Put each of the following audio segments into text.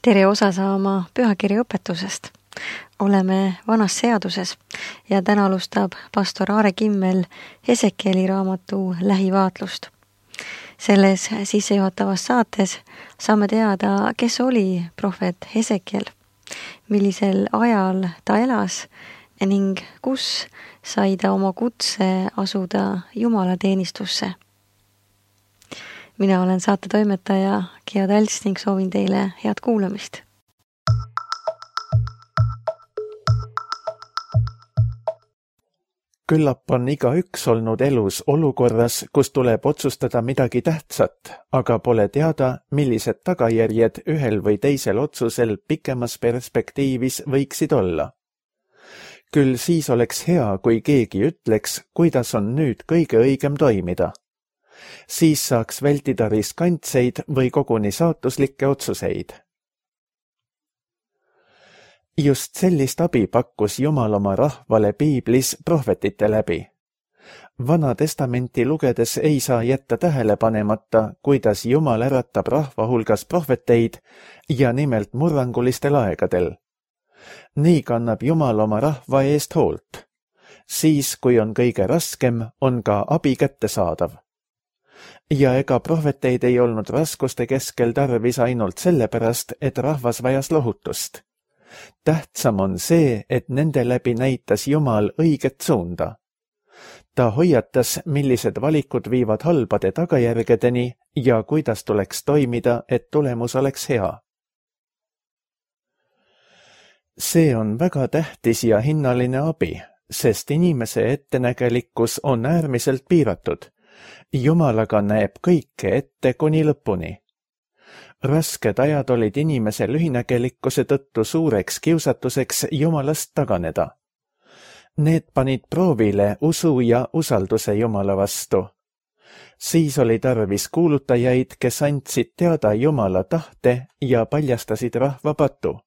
Tere osa saama pühakirja õpetusest. Oleme vanas seaduses ja täna alustab pastor Aare Kimmel Hesekieli raamatu lähivaatlust. Selles sissejuhatavas saates saame teada, kes oli prohvet Hesekiel, millisel ajal ta elas ning kus sai ta oma kutse asuda Jumalateenistusse. Mina olen saate toimetaja Gea Talts ning soovin teile head kuulamist. Küllap on igaüks olnud elus olukorras, kus tuleb otsustada midagi tähtsat, aga pole teada, millised tagajärjed ühel või teisel otsusel pikemas perspektiivis võiksid olla. Küll siis oleks hea, kui keegi ütleks, kuidas on nüüd kõige õigem toimida. Siis saaks vältida riskantseid või koguni saatuslikke otsuseid. Just sellist abi pakkus Jumal oma rahvale Piiblis prohvetite läbi. Vana testamenti lugedes ei saa jätta tähele panemata, kuidas Jumal äratab rahva hulgas prohveteid ja nimelt murrangulistel aegadel. Nii kannab Jumal oma rahva eest hoolt. Siis, kui on kõige raskem, on ka abi kättesaadav. Ja ega prohveteid ei olnud raskuste keskel tarvis ainult sellepärast, et rahvas vajas lohutust. Tähtsam on see, et nende läbi näitas Jumal õiget suunda. Ta hoiatas, millised valikud viivad halbade tagajärgedeni ja kuidas tuleks toimida, et tulemus oleks hea. See on väga tähtis ja hinnaline abi, sest inimese ettenägelikkus on äärmiselt piiratud. Jumal aga näeb kõike ette kuni lõpuni. Rasked ajad olid inimese lühinägelikkuse tõttu suureks kiusatuseks Jumalast taganeda. Need panid proovile usu ja usalduse Jumala vastu. Siis oli tarvis kuulutajaid, kes andsid teada Jumala tahte ja paljastasid rahva patu.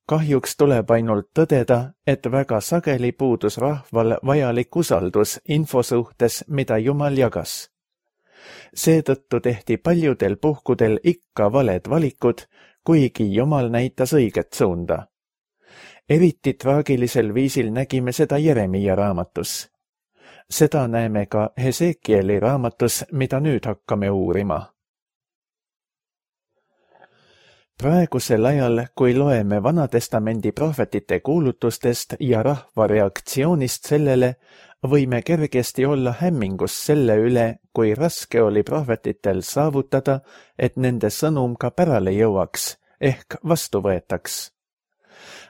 Kahjuks tuleb ainult tõdeda, et väga sageli puudus rahval vajalik usaldus info suhtes, mida Jumal jagas. Seetõttu tehti paljudel puhkudel ikka valed valikud, kuigi Jumal näitas õiget suunda. Eriti traagilisel viisil nägime seda Jeremia raamatus. Seda näeme ka Hesekieli raamatus, mida nüüd hakkame uurima. Praegusel ajal, kui loeme Vanatestamendi prohvetite kuulutustest ja rahva reaktsioonist sellele, võime kergesti olla hämmingus selle üle, kui raske oli prohvetitel saavutada, et nende sõnum ka pärale jõuaks, ehk vastu võetaks.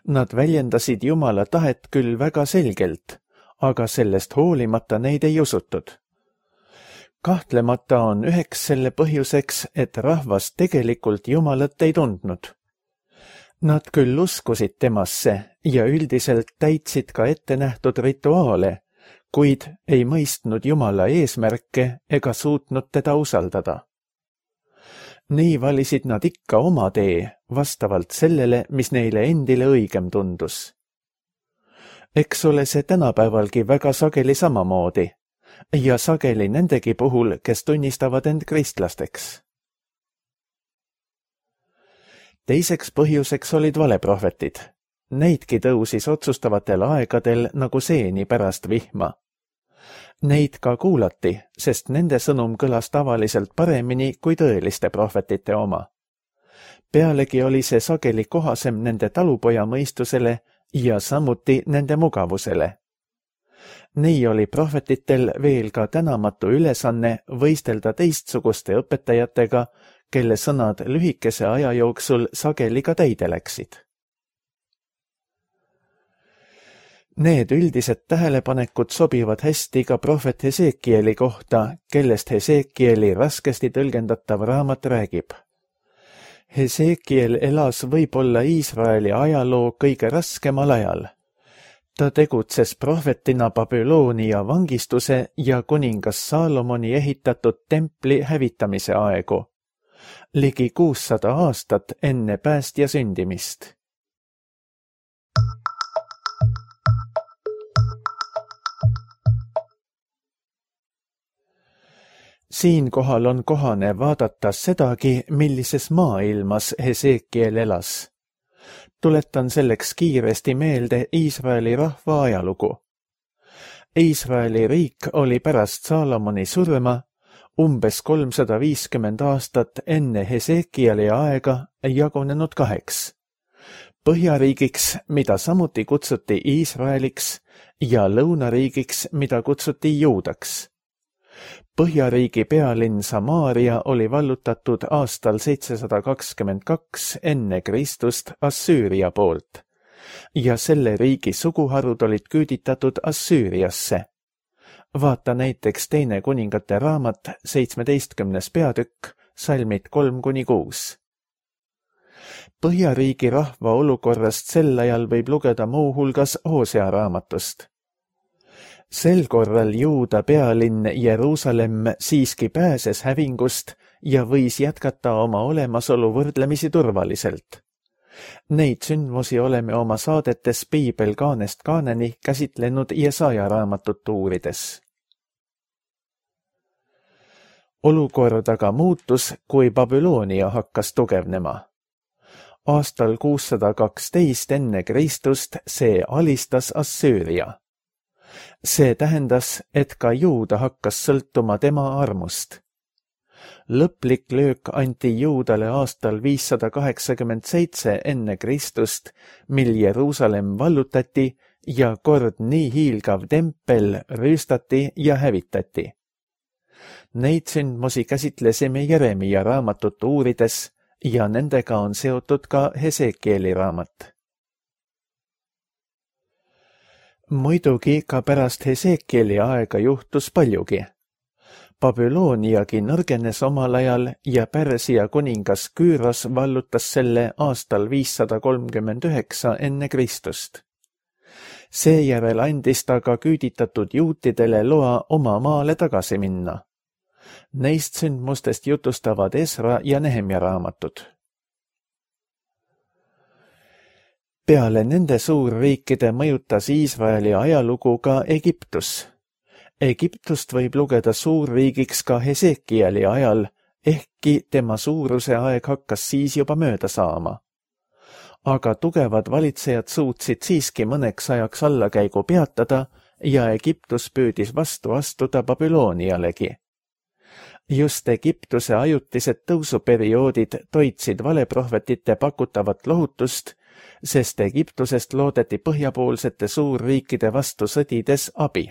Nad väljendasid Jumala tahet küll väga selgelt, aga sellest hoolimata neid ei usutud. Kahtlemata on üheks selle põhjuseks, et rahvas tegelikult Jumalat ei tundnud. Nad küll uskusid temasse ja üldiselt täitsid ka ettenähtud rituaale, kuid ei mõistnud Jumala eesmärke ega suutnud teda usaldada. Nii valisid nad ikka oma tee, vastavalt sellele, mis neile endile õigem tundus. Eks ole see tänapäevalgi väga sageli samamoodi. Ja sageli nendegi puhul, kes tunnistavad end kristlasteks. Teiseks põhjuseks olid valeprohvetid. Neidki tõusis otsustavatel aegadel nagu seeni pärast vihma. Neid ka kuulati, sest nende sõnum kõlas tavaliselt paremini kui tõeliste prohvetite oma. Pealegi oli see sageli kohasem nende talupoja mõistusele ja samuti nende mugavusele. Nii oli prohvetitel veel ka tänamatu ülesanne võistelda teistsuguste õpetajatega, kelle sõnad lühikese aja jooksul sageli ka täide läksid. Need üldised tähelepanekud sobivad hästi ka prohvet Hesekieli kohta, kellest Hesekieli raskesti tõlgendatav raamat räägib. Hesekiel elas võib-olla Iisraeli ajaloo kõige raskemal ajal. Ta tegutses prohvetina Babyloonia vangistuse ja kuningas Saalomoni ehitatud templi hävitamise aegu, ligi 600 aastat enne päästja sündimist. Siinkohal on kohane vaadata sedagi, millises maailmas Hesekiel elas. Tuletan selleks kiiresti meelde Iisraeli rahva ajalugu. Iisraeli riik oli pärast Saalomoni surma umbes 350 aastat enne Hesekieli aega jagunenud 2. Põhjariigiks, mida samuti kutsuti Iisraeliks, ja lõunariigiks, mida kutsuti Juudaks. Põhjariigi pealinn Samaaria oli vallutatud aastal 722 enne Kristust Assüüria poolt ja selle riigi suguharud olid küüditatud Assüüriasse. Vaata näiteks 2. kuningate raamat 17. peatükk, salmid 3-6. Põhjariigi rahva olukorrast sel ajal võib lugeda muuhulgas Hosea raamatust. Sel korral Juuda pealinn Jeruusalemm siiski pääses hävingust ja võis jätkata oma olemasolu võrdlemisi turvaliselt. Neid sündmusi oleme oma saadetes Piibel kaanest kaaneni käsitlenud Jesaja raamatut uurides. Olukord aga muutus, kui Babyloonia hakkas tugevnema. Aastal 612 enne Kristust see alistas Assüüria. See tähendas, et ka Juuda hakkas sõltuma tema armust. Lõplik löök anti Juudale aastal 587 enne Kristust, mil Jeruusalemm vallutati ja kord nii hiilgav tempel rüüstati ja hävitati. Neid sündmusi käsitlesime Jeremia raamatut uurides ja nendega on seotud ka Hesekieli raamat. Muidugi ka pärast Hesekieli aega juhtus paljugi. Babyloniagi nõrgenes omal ajal ja Pärsia kuningas Küüros vallutas selle aastal 539 enne Kristust. Seejärel andis ta ka küüditatud juutidele loa oma maale tagasi minna. Neist sündmustest jutustavad Esra ja Nehemja raamatud. Peale nende suurriikide mõjutas Iisraeli ajalugu ka Egiptus. Egiptust võib lugeda suurriigiks ka Hesekieli ajal, ehkki tema suuruse aeg hakkas siis juba mööda saama. Aga tugevad valitsejad suutsid siiski mõneks ajaks allakäigu peatada ja Egiptus püüdis vastu astuda Babylonialegi. Just Egiptuse ajutised tõusuperioodid toitsid valeprohvetite pakutavat lohutust, sest Egiptusest loodeti põhjapoolsete suurriikide vastu sõdides abi.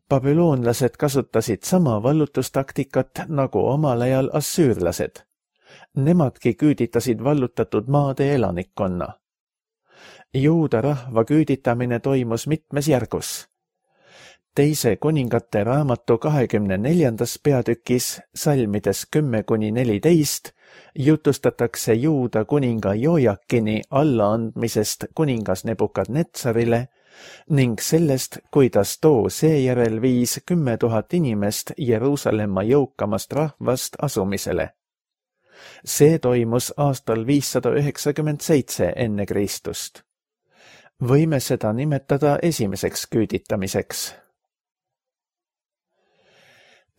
Babüloonlased kasutasid sama vallutustaktikat nagu omal ajal assüürlased. Nemadki küüditasid vallutatud maade elanikkonna. Juuda rahva küüditamine toimus mitmes järgus. Teise kuningate raamatu 24. peatükis, salmides 10-14, jutustatakse Juuda kuninga Jojakini allaandmisest kuningas Nebukadnetsarile ning sellest, kuidas too seejärel viis 10 000 inimest Jeruusalemma jõukamast rahvast asumisele. See toimus aastal 597 enne Kristust. Võime seda nimetada esimeseks küüditamiseks.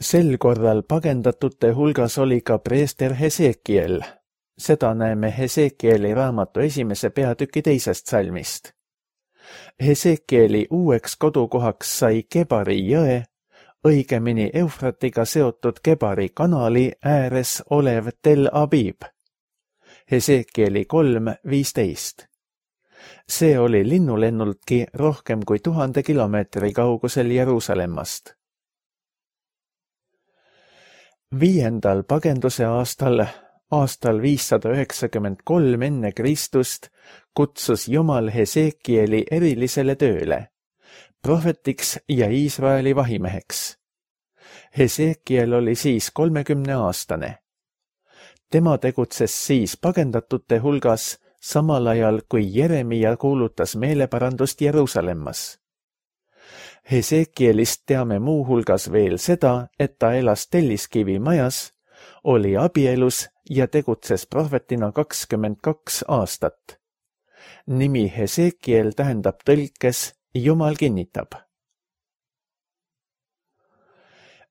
Sel korral pagendatute hulgas oli ka preester Hesekiel. Seda näeme Hesekieli raamatu 1. peatüki 2. salmist. Hesekieli uueks kodukohaks sai Kebari jõe, õigemini Eufratiga seotud Kebari kanali ääres olev Tel Abib. Hesekieli 3:15. See oli linnulennultki rohkem kui 1000 kilomeetri kaugusel Jeruusalemmast. 5. pagenduse aastal 593 enne Kristust kutsus Jumal Hesekieli erilisele tööle, prohvetiks ja Iisraeli vahimeheks. Hesekiel oli siis 30-aastane. Tema tegutses siis pagendatute hulgas, samal ajal kui Jeremia kuulutas meeleparandust Jeruusalemmas. Hesekielist teame muuhulgas veel seda, et ta elas Telliskivi majas, oli abielus ja tegutses prohvetina 22 aastat. Nimi Hesekiel tähendab tõlkes Jumal kinnitab.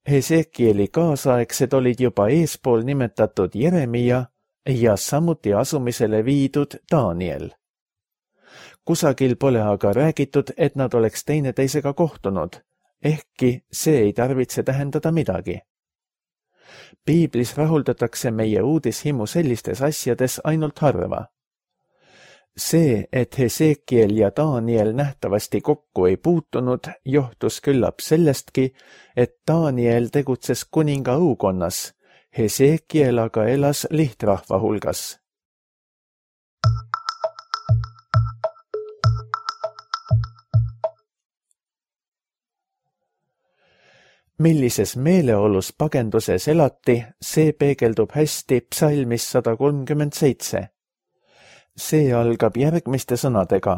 Hesekieli kaasaegsed olid juba eespool nimetatud Jeremia ja samuti asumisele viidud Daniel. Kusagil pole aga räägitud, et nad oleks teineteisega kohtunud, ehkki see ei tarvitse tähendada midagi. Piiblis rahuldatakse meie uudishimu sellistes asjades ainult harva. See, et Hesekiel ja Daniel nähtavasti kokku ei puutunud, johtus küllap sellestki, et Daniel tegutses kuninga õukonnas, Hesekiel aga elas lihtrahva hulgas. Millises meeleolus pagenduses elati, see peegeldub hästi psalmis 137. See algab järgmiste sõnadega.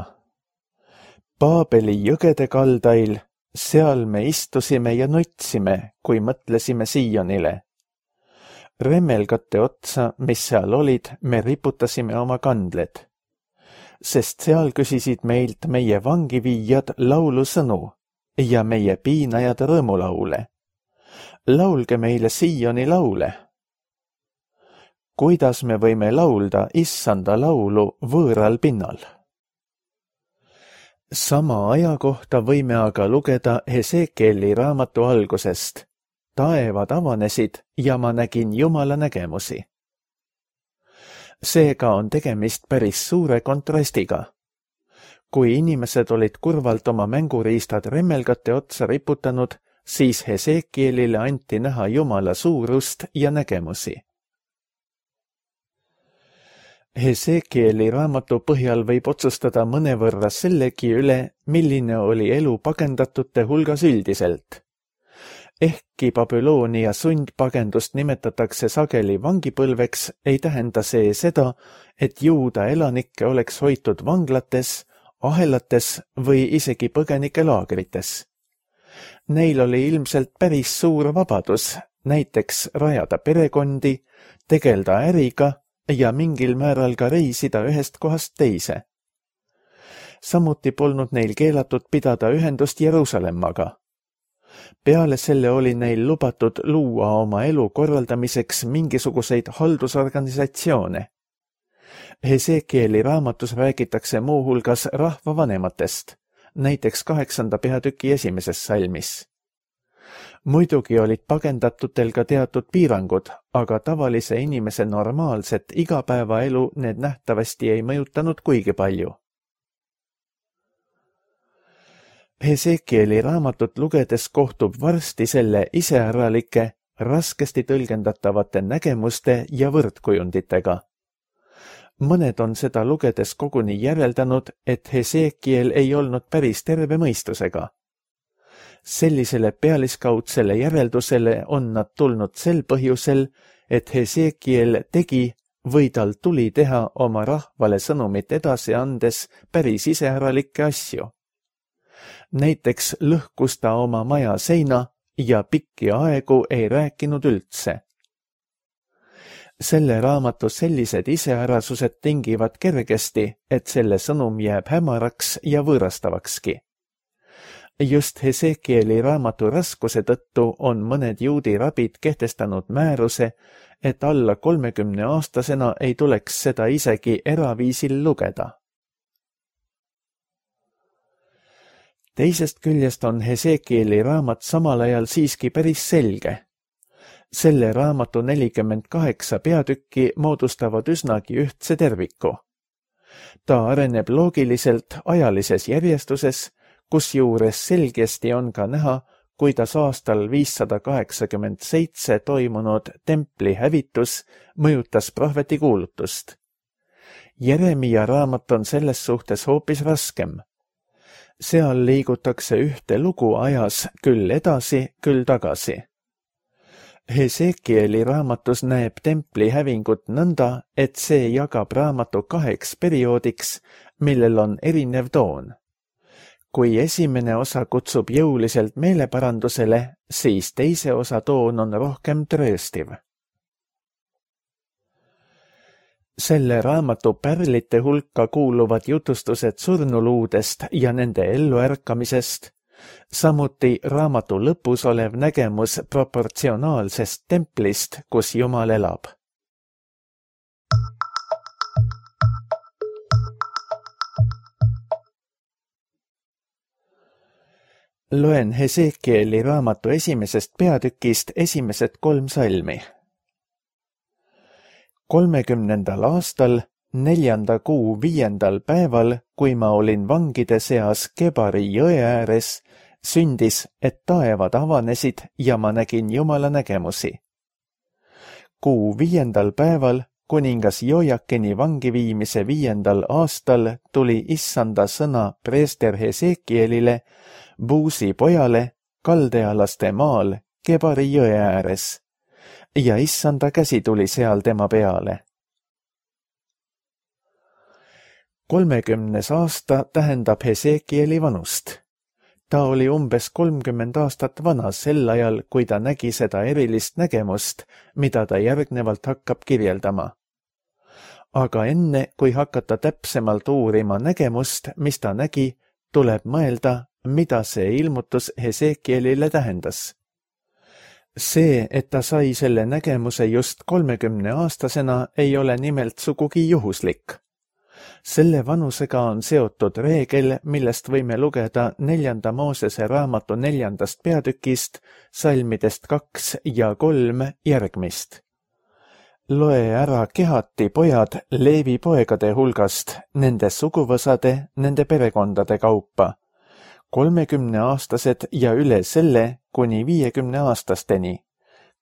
Paabeli jõgede kaldail, seal me istusime ja nutsime, kui mõtlesime Siionile. Remmelgate otsa, mis seal olid, me riputasime oma kandled. Sest seal küsisid meilt meie vangiviijad laulusõnu ja meie piinajad rõõmulaule. Laulge meile Sioni laule. Kuidas me võime laulda issanda laulu võõral pinnal? Sama aja kohta võime aga lugeda Hesekieli raamatu algusest. Taevad avanesid ja ma nägin Jumala nägemusi. Seega on tegemist päris suure kontrastiga. Kui inimesed olid kurvalt oma mänguriistad remmelgate otsa riputanud, siis Hesekielile anti näha Jumala suurust ja nägemusi. Hesekieli raamatu põhjal võib otsustada mõnevõrra sellegi üle, milline oli elu pagendatute hulgas üldiselt. Ehkki Babyloonia sundpagendust nimetatakse sageli vangipõlveks, ei tähenda see seda, et Juuda elanikke oleks hoitud vanglates, ahelates või isegi põgenikelaagrites. Neil oli ilmselt päris suur vabadus, näiteks rajada perekondi, tegelda äriga ja mingil määral ka reisida ühest kohast teise. Samuti polnud neil keelatud pidada ühendust Jeruusalemmaga. Peale selle oli neil lubatud luua oma elu korraldamiseks mingisuguseid haldusorganisatsioone. Hesekieli raamatus räägitakse muuhulgas rahvavanematest, näiteks 8. peatüki 1. salmis. Muidugi olid pagendatutel ka teatud piirangud, aga tavalise inimese normaalset igapäevaelu need nähtavasti ei mõjutanud kuigi palju. Hesekieli raamatut lugedes kohtub varsti selle iseäralike, raskesti tõlgendatavate nägemuste ja võrdkujunditega. Mõned on seda lugedes koguni järeldanud, et Hesekiel ei olnud päris terve mõistusega. Sellisele pealiskaudsele järeldusele on nad tulnud sel põhjusel, et Hesekiel tegi või tal tuli teha oma rahvale sõnumit edasi andes päris iseäralikke asju. Näiteks lõhkus ta oma maja seina ja pikki aegu ei rääkinud üldse. Selle raamatu sellised iseärasused tingivad kergesti, et selle sõnum jääb hämaraks ja võõrastavakski. Just Hesekieli raamatu raskuse tõttu on mõned juudi rabid kehtestanud määruse, et alla 30-aastasena ei tuleks seda isegi eraviisil lugeda. Teisest küljest on Hesekieli raamat samal ajal siiski päris selge. Selle raamatu 48 peatükki moodustavad üsnagi ühtse terviku. Ta areneb loogiliselt ajalises järjestuses, kusjuures selgesti on ka näha, kuidas aastal 587 toimunud templi hävitus mõjutas prohveti kuulutust. Jeremia raamat on selles suhtes hoopis raskem. Seal liigutakse ühte lugu ajas küll edasi, küll tagasi. Hesekieli raamatus näeb templi hävingut nõnda, et see jagab raamatu 2 perioodiks, millel on erinev toon. Kui esimene osa kutsub jõuliselt meeleparandusele, siis teise osa toon on rohkem trööstiv. Selle raamatu pärlite hulka kuuluvad jutustused surnuluudest ja nende elluärkamisest, Samuti raamatu lõpus olev nägemus proportsionaalsest templist, kus Jumal elab. Loen Hesekieli raamatu esimesest peatükist esimesed 3 salmi. 30. aastal, 4. kuu 5. päeval, kui ma olin vangide seas Kebari jõe ääres, sündis, et taevad avanesid ja ma nägin Jumala nägemusi. Kuu 5. päeval, kuningas Jojakini vangiviimise 5. aastal, tuli Issanda sõna preester Hesekielile, Buusi pojale, kaldealaste maal, Kebari jõe ääres, ja Issanda käsi tuli seal tema peale. 30. aasta tähendab Hesekieli vanust. Ta oli umbes 30 aastat vana sel ajal, kui ta nägi seda erilist nägemust, mida ta järgnevalt hakkab kirjeldama. Aga enne, kui hakata täpsemalt uurima nägemust, mis ta nägi, tuleb mõelda, mida see ilmutus Hesekielile tähendas. See, et ta sai selle nägemuse just 30-aastasena, ei ole nimelt sugugi juhuslik. Selle vanusega on seotud reegel, millest võime lugeda 4. Moosese raamatu 4. peatükist, salmidest 2 ja 3 järgmist. Loe ära Kehati pojad Leevi poegade hulgast, nende suguvõsade, nende perekondade kaupa, 30-aastased ja üle selle kuni 50-aastasteni,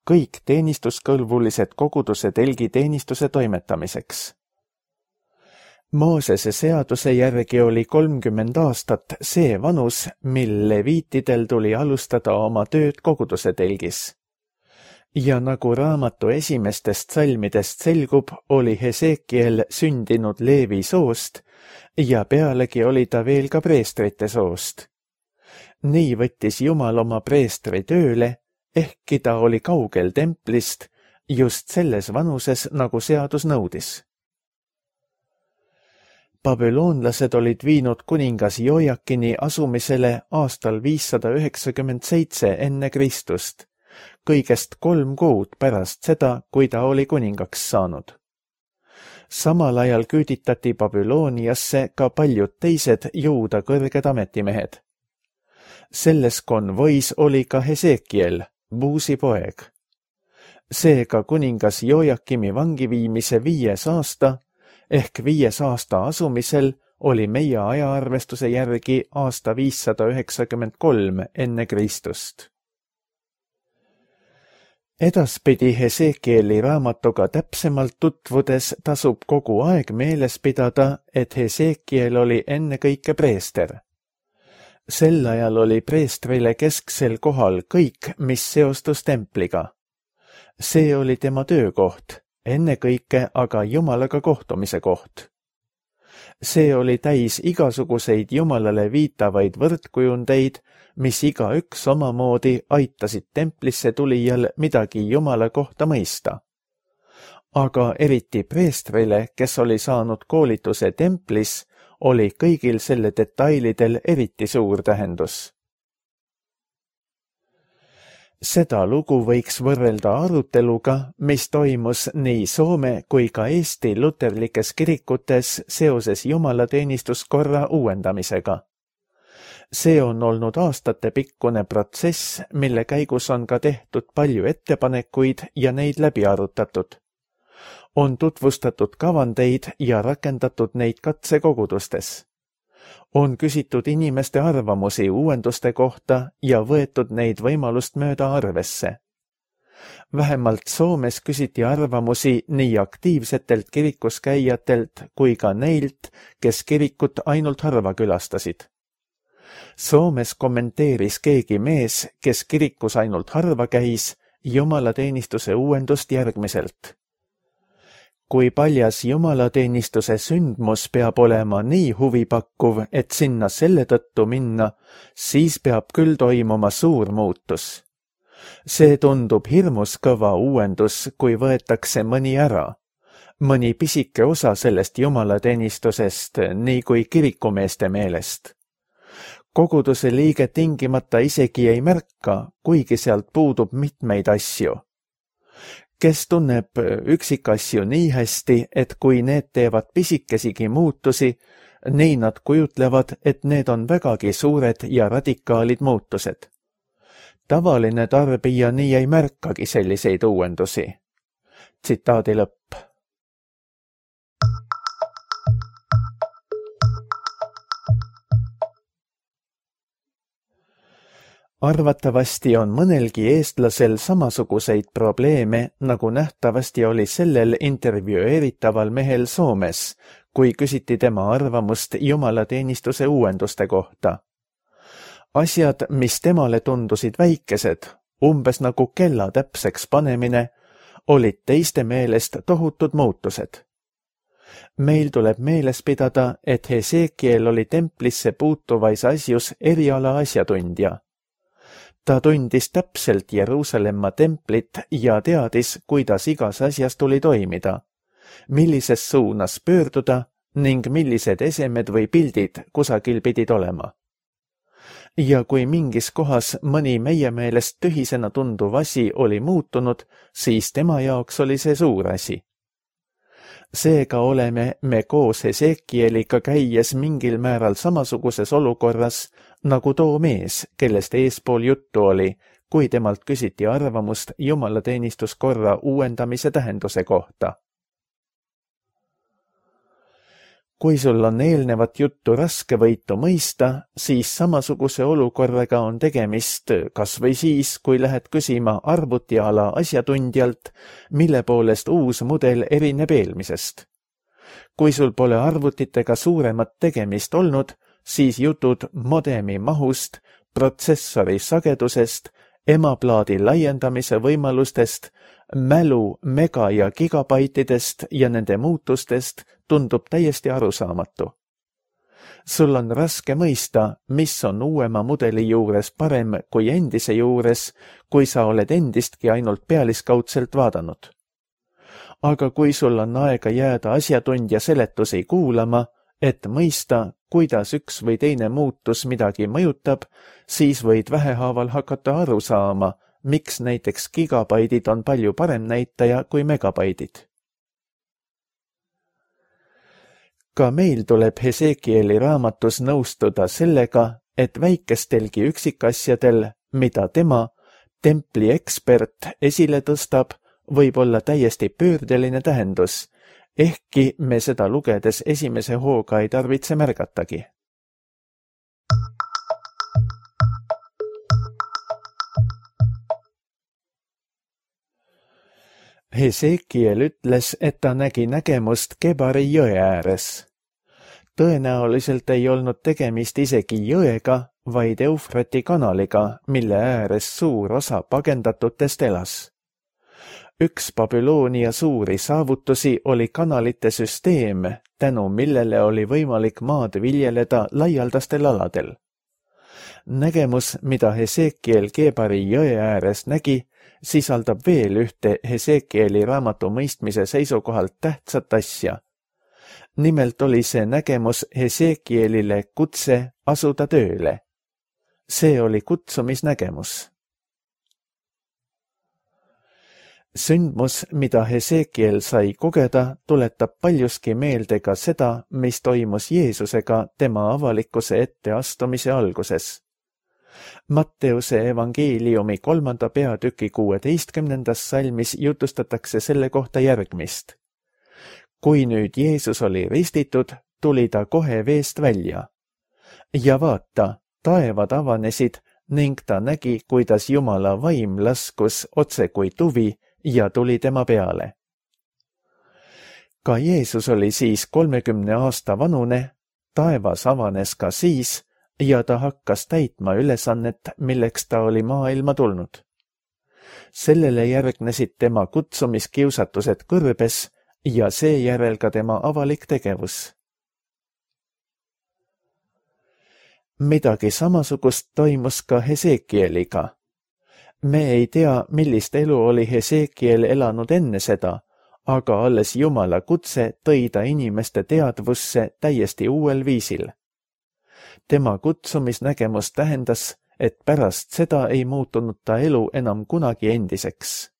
kõik teenistuskõlbulised koguduse telgi teenistuse toimetamiseks. Moosese seaduse järgi oli 30 aastat see vanus, mil leviitidel tuli alustada oma tööd koguduse telgis. Ja nagu raamatu esimestest salmidest selgub, oli Hesekiel sündinud Leevi soost ja pealegi oli ta veel ka preestrite soost. Nii võttis Jumal oma preestri tööle, ehkki ta oli kaugel templist, just selles vanuses, nagu seadus nõudis. Babüloonlased olid viinud kuningas Jojakini asumisele aastal 597 enne Kristust, kõigest 3 kuud pärast seda, kui ta oli kuningaks saanud. Samal ajal küüditati Babülooniasse ka paljud teised juuda kõrged ametimehed. Selles konvois oli ka Hesekiel, Buusi poeg. Seega kuningas Jojakimi vangiviimise 5. aasta, ehk 5. aasta asumisel oli meie ajaarvestuse järgi aasta 593 enne Kristust. Edaspidi Hesekieli raamatuga täpsemalt tutvudes tasub kogu aeg meeles pidada, et Hesekiel oli ennekõike preester. Sel ajal oli preestrile kesksel kohal kõik, mis seostus templiga. See oli tema töökoht, ennekõike aga Jumalaga kohtumise koht. See oli täis igasuguseid Jumalale viitavaid võrdkujundeid, mis igaüks omamoodi aitasid templisse tulijal midagi Jumala kohta mõista. Aga eriti preestrile, kes oli saanud koolituse templis, oli kõigil selle detailidel eriti suur tähendus. Seda lugu võiks võrrelda aruteluga, mis toimus nii Soome kui ka Eesti luterlikes kirikutes seoses jumalateenistuskorra uuendamisega. See on olnud aastatepikkune protsess, mille käigus on ka tehtud palju ettepanekuid ja neid läbi arutatud. On tutvustatud kavandeid ja rakendatud neid katsekogudustes. On küsitud inimeste arvamusi uuenduste kohta ja võetud neid võimalust mööda arvesse. Vähemalt Soomes küsiti arvamusi nii aktiivsetelt kirikuskäijatelt kui ka neilt, kes kirikut ainult harva külastasid. Soomes kommenteeris keegi mees, kes kirikus ainult harva käis, jumalateenistuse uuendust järgmiselt. Kui paljas jumalateenistuse sündmus peab olema nii huvipakkuv, et sinna selle tõttu minna, siis peab küll toimuma suur muutus. See tundub hirmus kõva uuendus, kui võetakse mõni ära. Mõni pisike osa sellest jumalateenistusest, nii kui kirikumeeste meelest. koguduse liige tingimata isegi ei märka, kuigi sealt puudub mitmeid asju. Kes tunneb üksikasju nii hästi, et kui need teevad pisikesigi muutusi, nii nad kujutlevad, et need on vägagi suured ja radikaalid muutused. Tavaline tarbija nii ei märkagi selliseid uuendusi. Tsitaadi lõpp. Arvatavasti on mõnelgi eestlasel samasuguseid probleeme, nagu nähtavasti oli sellel intervjueeritaval mehel Soomes, kui küsiti tema arvamust jumalateenistuse uuenduste kohta. Asjad, mis temale tundusid väikesed, umbes nagu kella täpseks panemine, olid teiste meelest tohutud muutused. Meil tuleb meeles pidada, et Hesekiel oli templisse puutuvais asjus eriala asjatundja. Ta tundis täpselt Jeruusalemma templit ja teadis, kuidas igas asjas tuli toimida, millises suunas pöörduda ning millised esemed või pildid kusagil pidid olema. Ja kui mingis kohas mõni meie meelest tühisena tunduv asi oli muutunud, siis tema jaoks oli see suur asi. Seega oleme me koos Hesekieliga käies mingil määral samasuguses olukorras, nagu too mees, kellest eespool juttu oli, kui temalt küsiti arvamust jumalateenistuskorra uuendamise tähenduse kohta. Kui sul on eelnevat juttu raske võitu mõista, siis samasuguse olukorraga on tegemist kas või siis, kui lähed küsima arvutiala asjatundjalt, mille poolest uus mudel erineb eelmisest. Kui sul pole arvutitega suuremat tegemist olnud, siis jutud modemi mahust, protsessori sagedusest, emaplaadi laiendamise võimalustest, mälu mega- ja gigabaitidest ja nende muutustest tundub täiesti arusaamatu. Sul on raske mõista, mis on uuema mudeli juures parem kui endise juures, kui sa oled endistki ainult pealiskaudselt vaadanud. Aga kui sul on aega jääda asjatundja seletusi kuulama, et mõista, kuidas üks või teine muutus midagi mõjutab, siis võid vähehaaval hakata aru saama, miks näiteks gigabaidid on palju parem näitaja kui megabaidid. Ka meil tuleb Hesekieli raamatus nõustuda sellega, et väikestelgi üksikasjadel, mida tema, templi ekspert, esile tõstab, võib olla täiesti pöördeline tähendus, ehkki me seda lugedes esimese hooga ei tarvitse märgatagi. Hesekiel ütles, et ta nägi nägemust Kebari jõe ääres. Tõenäoliselt ei olnud tegemist isegi jõega, vaid Eufrati kanaliga, mille ääres suur osa pagendatutest elas. Üks Babyloonia suuri saavutusi oli kanalite süsteem, tänu millele oli võimalik maad viljeleda laialdastel aladel. Nägemus, mida Hesekiel Kebari jõe ääres nägi, sisaldab veel ühte Hesekieli raamatu mõistmise seisukohalt tähtsat asja. Nimelt oli see nägemus Hesekielile kutse asuda tööle. See oli kutsumisnägemus. Sündmus, mida Hesekiel sai kogeda, tuletab paljuski meelde ka seda, mis toimus Jeesusega tema avalikkuse etteastumise alguses. Matteuse evangeeliumi 3. peatüki 16. salmis jutustatakse selle kohta järgmist. Kui nüüd Jeesus oli ristitud, tuli ta kohe veest välja. Ja vaata, taevad avanesid ning ta nägi, kuidas Jumala vaim laskus otse kui tuvi ja tuli tema peale. Ka Jeesus oli siis 30 aasta vanune, taevas avanes ka siis ja ta hakkas täitma ülesannet, milleks ta oli maailma tulnud. Sellele järgnesid tema kutsumiskiusatused kõrbes ja seejärel ka tema avalik tegevus. Midagi samasugust toimus ka Hesekieliga. Me ei tea, millist elu oli Hesekiel elanud enne seda, aga alles Jumala kutse tõi ta inimeste teadvusse täiesti uuel viisil. Tema kutsumisnägemus tähendas, et pärast seda ei muutunud ta elu enam kunagi endiseks.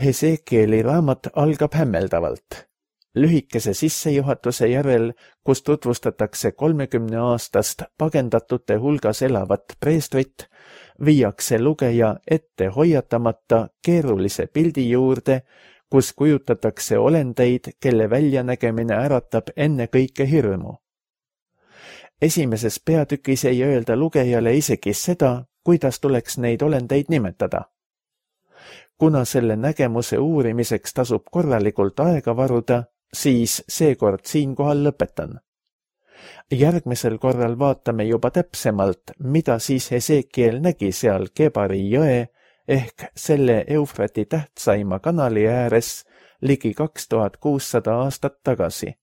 Hesekieli raamat algab hämmeldavalt. Lühikese sissejuhatuse järel, kus tutvustatakse 30-aastast pagendatute hulgas elavat preestrit, viiakse lugeja ette hoiatamata keerulise pildi juurde, kus kujutatakse olendeid, kelle väljanägemine äratab ennekõike hirmu. Esimeses peatükis ei öelda lugejale isegi seda, kuidas tuleks neid olendeid nimetada. Kuna selle nägemuse uurimiseks tasub korralikult aega varuda, siis seekord siinkohal lõpetan. Järgmisel korral vaatame juba täpsemalt, mida siis Hesekiel nägi seal Kebari jõe ehk selle Eufrati tähtsaima kanali ääres ligi 2600 aastat tagasi.